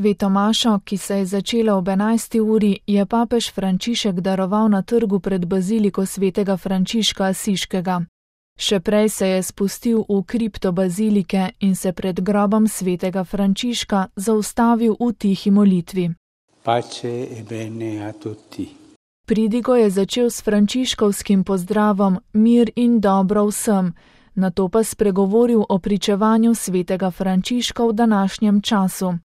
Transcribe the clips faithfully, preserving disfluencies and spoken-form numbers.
Sveto mašo, ki se je začela ob enajsti uri, je papež Frančišek daroval na trgu pred baziliko svetega Frančiška Asiškega. Še prej se je spustil v kripto bazilike in se pred grobom svetega Frančiška zaustavil v tihi molitvi. Pace e bene a tutti. Pridigo je začel s frančiškovskim pozdravom mir in dobro vsem, nato pa spregovoril o pričevanju svetega Frančiška v današnjem času.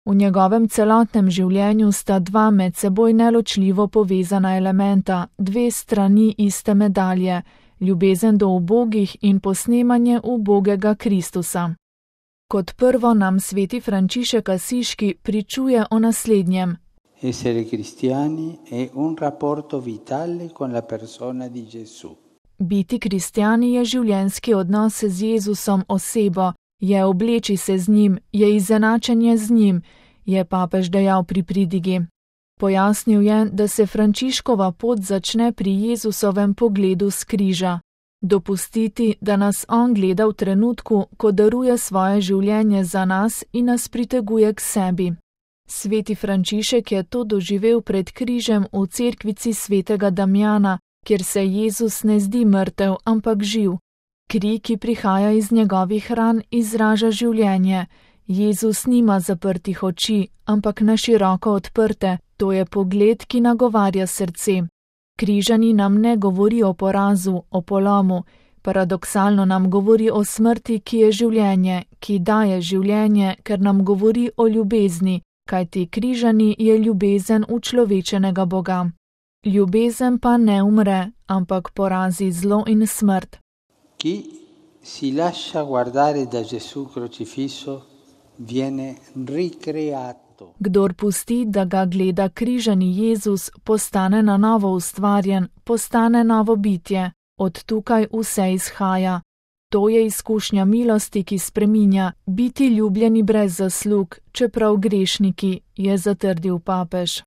V njegovem celotnem življenju sta dva med seboj neločljivo povezana elementa, dve strani iste medalje, ljubezen do ubogih in posnemanje ubogega Kristusa. Kot prvo nam sveti Frančišek Asiški pričuje o naslednjem. Essere cristiani è un rapporto vitale con la persona di Gesù. Biti kristjani je življenjski odnos z Jezusom osebo, je obleči se z njim, je izenačenje z njim, je papež dejal pri pridigi. Pojasnil je, da se Frančiškova pot začne pri Jezusovem pogledu s križa. Dopustiti, da nas on gleda v trenutku, ko daruje svoje življenje za nas in nas priteguje k sebi. Sveti Frančišek je to doživel pred križem v cerkvici svetega Damjana, kjer se Jezus ne zdi mrtev, ampak živ. Kri, ki prihaja iz njegovih ran, izraža življenje. Jezus nima zaprtih oči, ampak na široko odprte, to je pogled, ki nagovarja srce. Križani nam ne govori o porazu, o polomu, paradoksalno nam govori o smrti, ki je življenje, ki daje življenje, ker nam govori o ljubezni, kajti križani je ljubezen učlovečenega Boga. Ljubezen pa ne umre, ampak porazi zlo in smrt. Chi si lascia guardare da Gesù crocifisso viene ricreato. Kdor pusti, da ga gleda križani Jezus, postane na novo ustvarjen, postane novo bitje. Od tukaj vse izhaja. To je izkušnja milosti, ki spreminja, biti ljubljeni brez zaslug, čeprav grešniki, je zatrdil papež.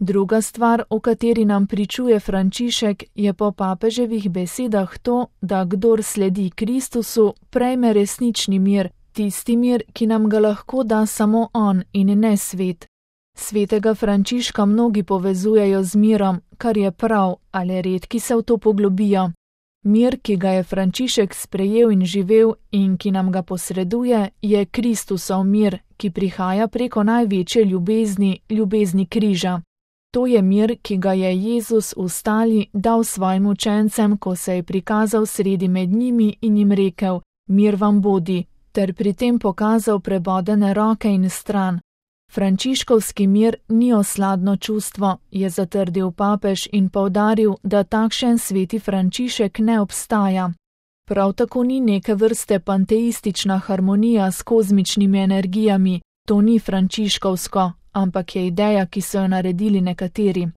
Druga stvar, o kateri nam pričuje Frančišek, je po papeževih besedah to, da kdor sledi Kristusu, prejme resnični mir, tisti mir, ki nam ga lahko da samo on in ne svet. Svetega Frančiška mnogi povezujejo z mirom, kar je prav, ali redki se v to poglobijo. Mir, ki ga je Frančišek sprejel in živel in ki nam ga posreduje, je Kristusov mir, ki prihaja preko največje ljubezni, ljubezni križa. To je mir, ki ga je Jezus v stali dal svojim učencem, ko se je prikazal sredi med njimi in jim rekel: mir vam bodi, ter pri tem pokazal prebodene roke in stran. Frančiškovski mir ni osladno čustvo, je zatrdil papež in poudaril, da takšen sveti Frančišek ne obstaja. Prav tako ni neke vrste panteistična harmonija s kozmičnimi energijami, to ni frančiškovsko, ampak je ideja, ki so jo naredili nekateri.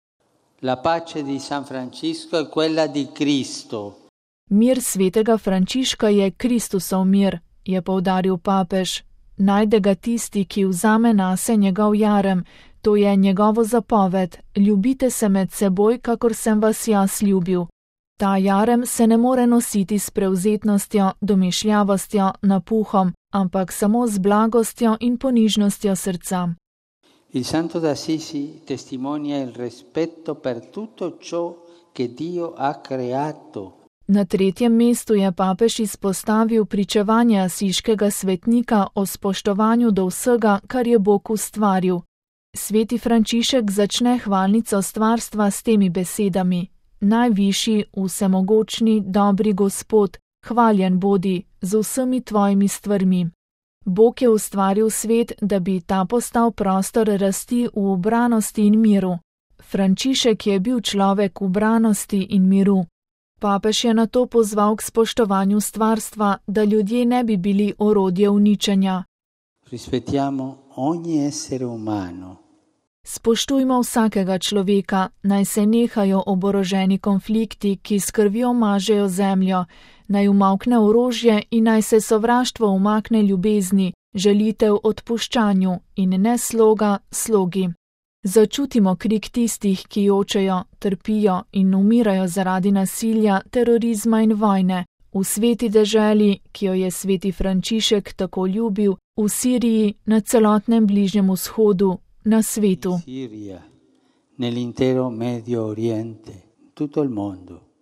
La pace di San Francisco è quella di Cristo. Mir svetega Frančiška je Kristusov mir, je poudaril papež. Najde ga tisti, ki vzame nase njegov jarem, to je njegovo zapoved, ljubite se med seboj, kakor sem vas jaz ljubil. Ta jarem se ne more nositi s prevzetnostjo, domišljavostjo, napuhom, ampak samo z blagostjo in ponižnostjo srca. Il Santo d'Assisi testimonia il rispetto per tutto ciò che Dio ha creato. Na tretjem mestu je papež izpostavil pričevanje asiškega svetnika o spoštovanju do vsega, kar je Bog ustvaril. Sveti Frančišek začne hvalnico stvarstva s temi besedami: najvišji, vsemogočni, dobri Gospod, hvaljen bodi z vsemi tvojimi stvarmi. Bog je ustvaril svet, da bi ta postal prostor rasti v ubranosti in miru. Frančišek je bil človek ubranosti in miru. Papež je nato pozval k spoštovanju stvarstva, da ljudje ne bi bili orodje uničenja. Rispettiamo ogni essere umano. Spoštujmo vsakega človeka, naj se nehajo oboroženi konflikti, ki s krvjo mažejo zemljo, naj umavkne orožje in naj se sovraštvo umakne ljubezni, žalitev odpuščanju in ne sloga slogi. Začutimo krik tistih, ki jočejo, trpijo in umirajo zaradi nasilja, terorizma in vojne, v sveti deželi, ki jo je sveti Frančišek tako ljubil v Siriji, na celotnem Bližnjem vzhodu, na svetu. Siria, nell'intero Medio Oriente, tutto il mondo.